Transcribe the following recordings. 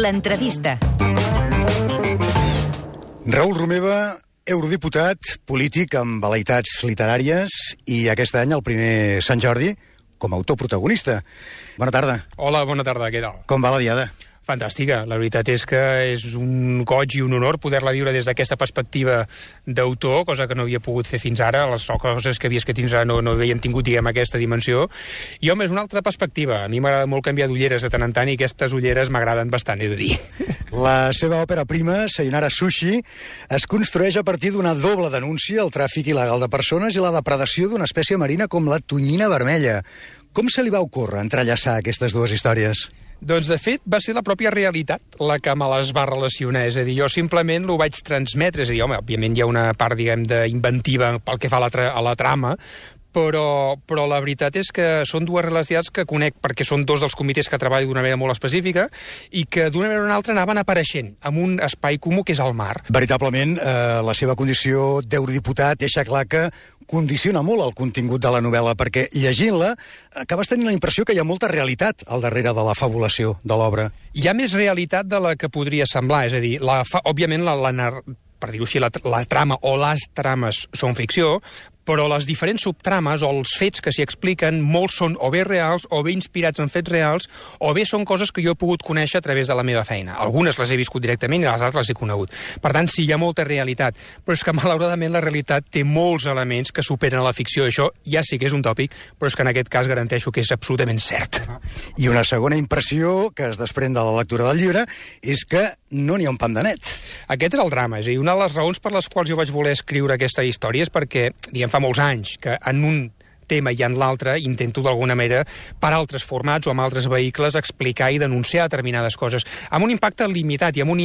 L'entrevista. Raül Romeva, eurodiputat, polític amb vel·leïtats literàries i aquest any el primer Sant Jordi com a autor protagonista. Bona tarda. Hola, bona tarda, què tal? Com va la diada? Fantàstica. La veritat és que és un goig i un honor poder-la viure des d'aquesta perspectiva d'autor, cosa que no havia pogut fer fins ara. Les coses que havia escrit fins ara no havien tingut, diguem, aquesta dimensió. I, home, és una altra perspectiva. A mi m'agrada molt canviar d'ulleres de tant en tant i aquestes ulleres m'agraden bastant, he de dir. La seva òpera prima, Sayonara Sushi, es construeix a partir d'una doble denúncia al tràfic il·legal de persones i la depredació d'una espècie marina com la tonyina vermella. Com se li va ocórrer entrellaçar aquestes dues històries? Doncs, de fet, va ser la pròpia realitat la que me les va relacionar. És a dir, jo simplement l'ho vaig transmetre. És a dir, home, òbviament hi ha una part, diguem, d'inventiva pel que fa a la trama, però la veritat és que són dues realitats que conec perquè són dos dels comitès que treballo d'una manera molt específica i que d'una manera o una altra anaven apareixent en un espai comú que és el mar. Veritablement, la seva condició d'eurodiputat deixa clar que condiciona molt el contingut de la novel·la, perquè llegint-la acabes tenint la impressió que hi ha molta realitat al darrere de la fabulació de l'obra. Hi ha més realitat de la que podria semblar, és a dir, òbviament per dir-ho així, la trama o les trames són ficció, però les diferents subtrames o els fets que s'hi expliquen, molts són o bé reals, o bé inspirats en fets reals, o bé són coses que jo he pogut conèixer a través de la meva feina. Algunes les he viscut directament i les altres les he conegut. Per tant, sí, hi ha molta realitat, però és que, malauradament, la realitat té molts elements que superen a la ficció. Això ja sí que és un tòpic, però és que en aquest cas garanteixo que és absolutament cert. I una segona impressió que es desprèn de la lectura del llibre és que no n'hi ha un pam de net. Aquest és el drama, és a dir, una de les raons per les quals jo vaig voler escriure aquesta història és perquè, diguem, fa molts anys que en un tema i en l'altre intento d'alguna manera per altres formats o amb altres vehicles explicar i denunciar determinades coses amb un impacte limitat i amb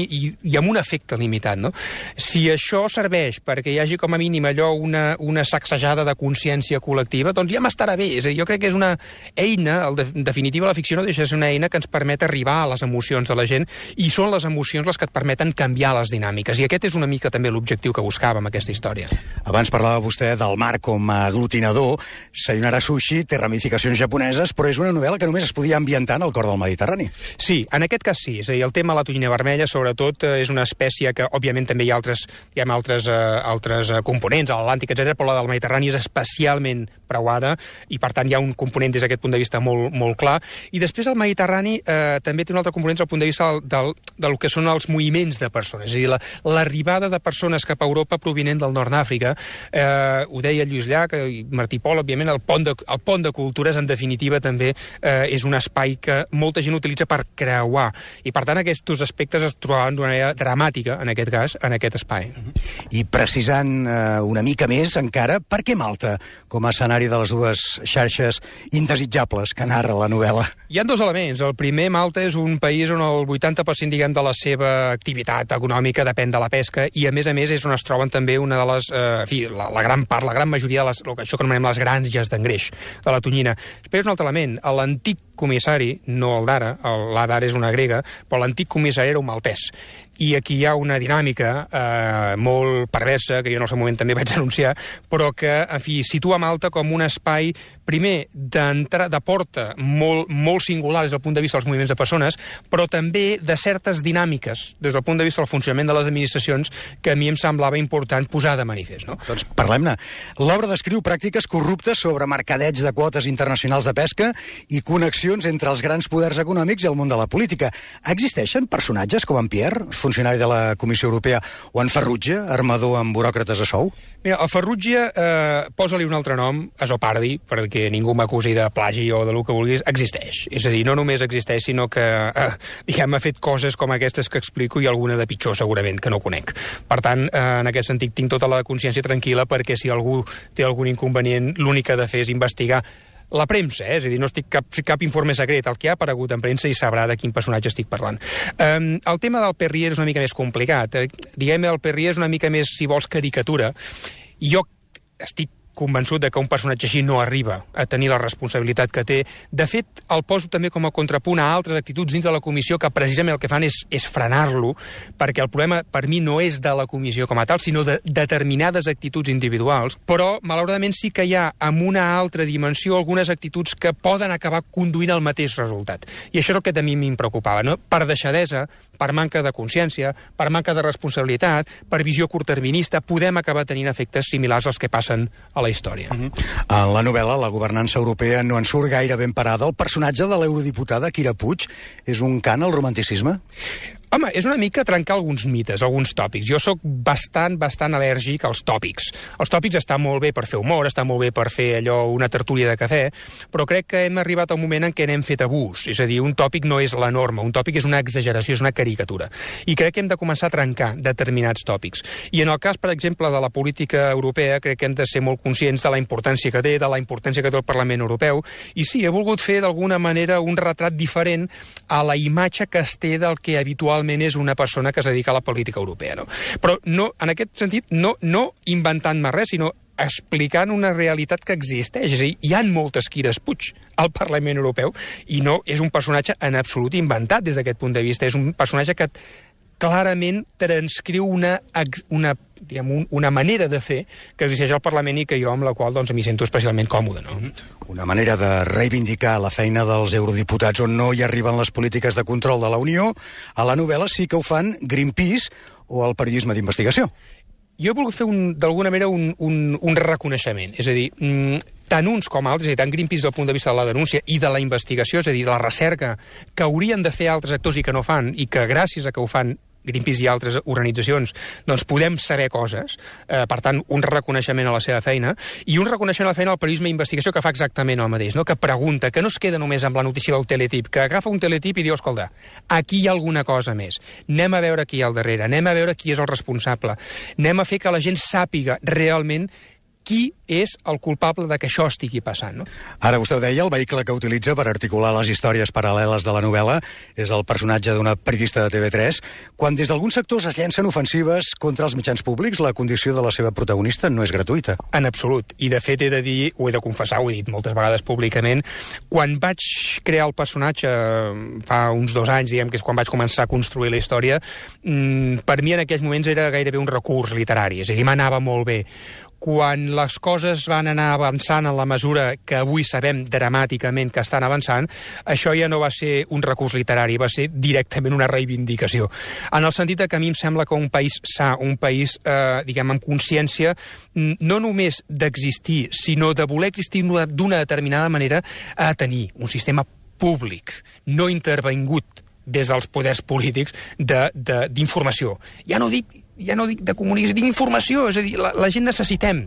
un efecte limitat, no? Si això serveix perquè hi hagi com a mínim allò una sacsejada de consciència col·lectiva, doncs ja m'estarà bé. És a dir, jo crec que és una eina, en definitiva la ficció no deixa de ser una eina que ens permet arribar a les emocions de la gent i són les emocions les que et permeten canviar les dinàmiques i aquest és una mica també l'objectiu que buscava amb aquesta història. Abans parlava vostè del mar com a aglutinador. Sayonara Sushi té ramificacions japoneses, però és una novel·la que només es podia ambientar en el cor del Mediterrani. Sí, en aquest cas sí. És a dir, el tema de la tonyina vermella, sobretot, és una espècie que, òbviament, també hi ha altres components, a l'Atlàntic, etc., però la del Mediterrani és especialment preuada i, per tant, hi ha un component des d'aquest punt de vista molt, molt clar. I després el Mediterrani també té un altre component des del punt de vista del que són els moviments de persones. És a dir, l'arribada de persones cap a Europa provinent del nord d'Àfrica, ho deia Lluís Llach i Martí Pol, òbviament, el pont de cultures, en definitiva, també és un espai que molta gent utilitza per creuar. I, per tant, aquests aspectes es trobaven d'una manera dramàtica, en aquest cas, en aquest espai. I precisant una mica més, encara, per què Malta com a escenari de les dues xarxes indesitjables que narra la novel·la? Hi ha dos elements. El primer, Malta és un país on el 80%, diguem, de la seva activitat econòmica depèn de la pesca i, a més, és on es troben també una de les... la gran majoria de això que anomenem les granges d'engreix de la tonyina. Després un altre element. L'antic comissari, no el d'ara, la d'ara és una grega, però l'antic comissari era un maltès. I aquí hi ha una dinàmica molt perversa, que jo en el seu moment també vaig denunciar, però que, en fi, situa Malta com un espai, primer, de porta molt singular des del punt de vista dels moviments de persones, però també de certes dinàmiques, des del punt de vista del funcionament de les administracions, que a mi em semblava important posar de manifest. No? Doncs parlem-ne. L'obra descriu pràctiques corruptes sobre mercadeig de quotes internacionals de pesca i connexions entre els grans poders econòmics i el món de la política. Existeixen personatges com en Pierre, funcionari de la Comissió Europea, o en Farrugia, armador amb buròcrates a sou? Mira, el Farrugia, posa-li un altre nom, Azopardi, perquè ningú m'acusi de plagi o de lo que vulguis, existeix. És a dir, no només existeix, sinó que, diguem, ha fet coses com aquestes que explico i alguna de pitjor, segurament, que no conec. Per tant, en aquest sentit, tinc tota la consciència tranquil·la perquè si algú té algun inconvenient, l'únic que ha de fer és investigar la premsa, és a dir, no estic cap informe secret, el que ha aparegut en premsa i sabrà de quin personatge estic parlant. El tema del Perrier és una mica més complicat. Diguem, el Perrier és una mica més, si vols, caricatura. I jo estic convençut de que un personatge així no arriba a tenir la responsabilitat que té. De fet, el poso també com a contrapunt a altres actituds dins de la comissió que precisament el que fan és frenar-lo, perquè el problema per mi no és de la comissió com a tal, sinó de determinades actituds individuals, però malauradament sí que hi ha en una altra dimensió algunes actituds que poden acabar conduint al mateix resultat. I això és el que a mi em preocupava, no? Per deixadesa, per manca de consciència, per manca de responsabilitat, per visió curtterminista, podem acabar tenint efectes similars als que passen a la història. En la novel·la, la governança europea no en surt gaire ben parada. El personatge de l'eurodiputada Kira Puig és un cant al romanticisme? Home, és una mica trencar alguns mites, alguns tòpics. Jo sóc bastant al·lèrgic als tòpics. Els tòpics estan molt bé per fer humor, estan molt bé per fer allò, una tertúlia de cafè, però crec que hem arribat a un moment en què n'hem fet abús. És a dir, un tòpic no és la norma, un tòpic és una exageració, és una caricatura. I crec que hem de començar a trencar determinats tòpics. I en el cas, per exemple, de la política europea, crec que hem de ser molt conscients de la importància que té, de la importància que té el Parlament Europeu. I sí, he volgut fer d'alguna manera un retrat diferent a la imatge que es té del que habitualment és una persona que es dedica a la política europea. No? Però no, en aquest sentit, no inventant-me res, sinó explicant una realitat que existeix. És a dir, hi ha moltes Quires Puig al Parlament Europeu i no és un personatge en absolut inventat des d'aquest punt de vista. És un personatge que clarament transcriu una manera de fer que existeix al Parlament i que jo amb la qual m'hi sento especialment còmode. No? Una manera de reivindicar la feina dels eurodiputats on no hi arriben les polítiques de control de la Unió. A la novel·la sí que ho fan Greenpeace o el periodisme d'investigació. Jo he volgut fer d'alguna manera un reconeixement. És a dir, tant uns com altres, tant Greenpeace del punt de vista de la denúncia i de la investigació, és a dir, de la recerca, que haurien de fer altres actors i que no fan, i que gràcies a que ho fan Greenpeace i altres organitzacions, doncs podem saber coses, per tant, un reconeixement a la seva feina, i un reconeixement a la feina al periodisme d'investigació que fa exactament el mateix, no? Que pregunta, que no es queda només amb la notícia del teletip, que agafa un teletip i diu, escolta, aquí hi ha alguna cosa més, anem a veure qui hi ha al darrere, anem a veure qui és el responsable, anem a fer que la gent sàpiga realment qui és el culpable de que això estigui passant. No? Ara vostè ho deia, el vehicle que utilitza per articular les històries paral·leles de la novel·la és el personatge d'una periodista de TV3. Quan des d'alguns sectors es llencen ofensives contra els mitjans públics, la condició de la seva protagonista no és gratuïta. En absolut. I de fet he de dir, ho he de confessar, ho he dit moltes vegades públicament, quan vaig crear el personatge fa uns 2 anys, diguem que és quan vaig començar a construir la història, per mi en aquells moments era gairebé un recurs literari, és a dir, m'anava molt bé. Quan les coses van anar avançant en la mesura que avui sabem dramàticament que estan avançant, això ja no va ser un recurs literari, va ser directament una reivindicació. En el sentit que a mi em sembla que un país sa, un país, diguem, amb consciència, no només d'existir, sinó de voler existir d'una determinada manera, ha de tenir un sistema públic, no intervingut des dels poders polítics d'informació. Ja no dic de comunicació, dic informació, és a dir, la gent necessitem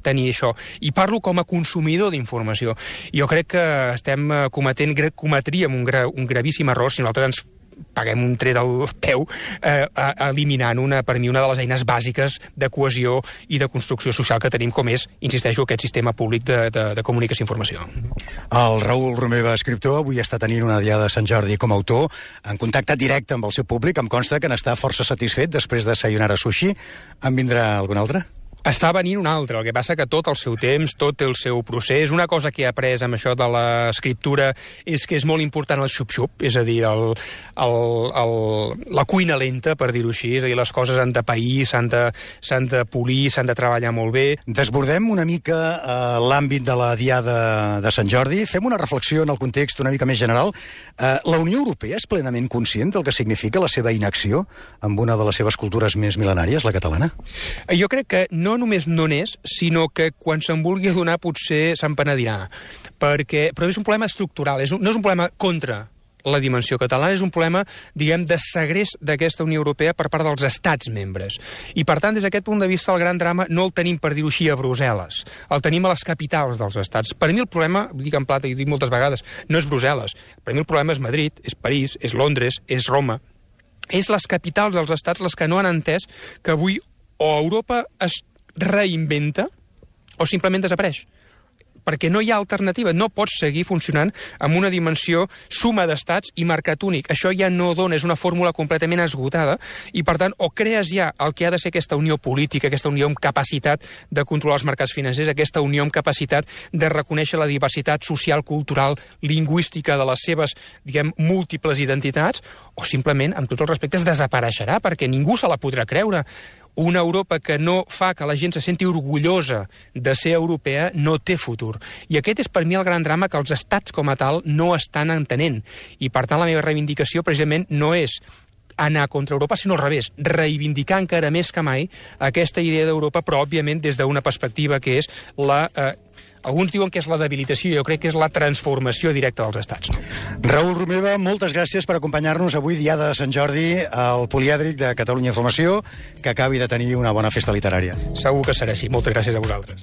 tenir això, i parlo com a consumidor d'informació. Jo crec que estem cometríem un gravíssim error si nosaltres ens paguem un tret al peu eliminant per mi una de les eines bàsiques de cohesió i de construcció social que tenim, com és, insisteixo, aquest sistema públic de comunicació i informació. El Raül Romeva, escriptor, avui està tenint una diada de Sant Jordi com a autor, en contacte directe amb el seu públic. Em consta que n'està força satisfet després de Sayonara Sushi. En vindrà algun altre? Està venint un altre, el que passa que tot el seu temps, tot el seu procés, una cosa que he après amb això de l'escriptura és que és molt important el xup-xup, és a dir, la cuina lenta, per dir-ho així, és a dir, les coses han de pair, s'han de polir, s'han de treballar molt bé. Desbordem una mica l'àmbit de la Diada de Sant Jordi, fem una reflexió en el context una mica més general. La Unió Europea és plenament conscient del que significa la seva inacció amb una de les seves cultures més mil·lenàries, la catalana? Jo crec que no només no n'és, sinó que quan se'n vulgui adonar potser se'n penedirà. Però és un problema estructural, no és un problema contra la dimensió catalana, és un problema, diguem, de segrest d'aquesta Unió Europea per part dels estats membres. I, per tant, des d'aquest punt de vista, el gran drama no el tenim, per dir-ho així, a Brussel·les. El tenim a les capitals dels estats. Per mi el problema, dic en plata i dic moltes vegades, no és Brussel·les. Per mi el problema és Madrid, és París, és Londres, és Roma. És les capitals dels estats les que no han entès que avui o Europa es reinventa o simplement desapareix. Perquè no hi ha alternativa. No pots seguir funcionant amb una dimensió suma d'estats i mercat únic. Això ja no dona, és una fórmula completament esgotada i, per tant, o crees ja el que ha de ser aquesta unió política, aquesta unió amb capacitat de controlar els mercats financers, aquesta unió amb capacitat de reconèixer la diversitat social, cultural, lingüística de les seves, diguem, múltiples identitats, o simplement, amb tots els respectes, desapareixerà, perquè ningú se la podrà creure. Una Europa que no fa que la gent se senti orgullosa de ser europea no té futur. I aquest és per mi el gran drama que els estats com a tal no estan entenent. I per tant la meva reivindicació precisament no és anar contra Europa, sinó al revés, reivindicar encara més que mai aquesta idea d'Europa, però, òbviament, des d'una perspectiva que és la... alguns diuen que és la debilitació, jo crec que és la transformació directa dels estats. Raül Romeva, moltes gràcies per acompanyar-nos avui, Diada de Sant Jordi, al Polièdric de Catalunya Informació, que acabi de tenir una bona festa literària. Segur que serà així. Moltes gràcies a vosaltres.